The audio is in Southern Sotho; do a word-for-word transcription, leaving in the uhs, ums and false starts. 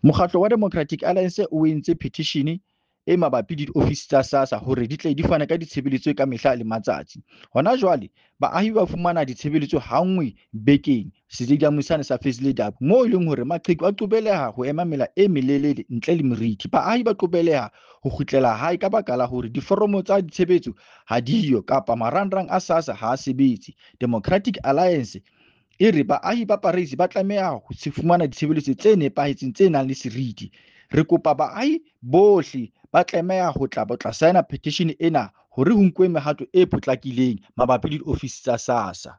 Mokgatlo wa Democratic Alliance o entse petition e mabapi le diofisi tsa SASSA hore di tle di fane ka ditshebeletso ka mehla le matsatsi. Hona jwale baahi ba fumana ditshebeletso ha nngwe bekeng stadium sane sa Fezile Dabi, moo e leng hore maqheku a qobeleha ho ema mela e melelele ntle le meriti. Baahi ba qobeleha ho kgutlela hae ka baka la hore diforomo tsa ditshebetso ha diyo kapa marangrang a SASSA ha a sebetse. Democratic Alliance e re baahi ba Parys ba tlameha ho fumana ditshebeletso tse nepahetseng tse nang le seriti. Re kopa baahi bohle ba tlameha ho tla tla saena petition ena hore ho nkuwe mehato e potlakileng mabapi le diofisi tsa SASSA.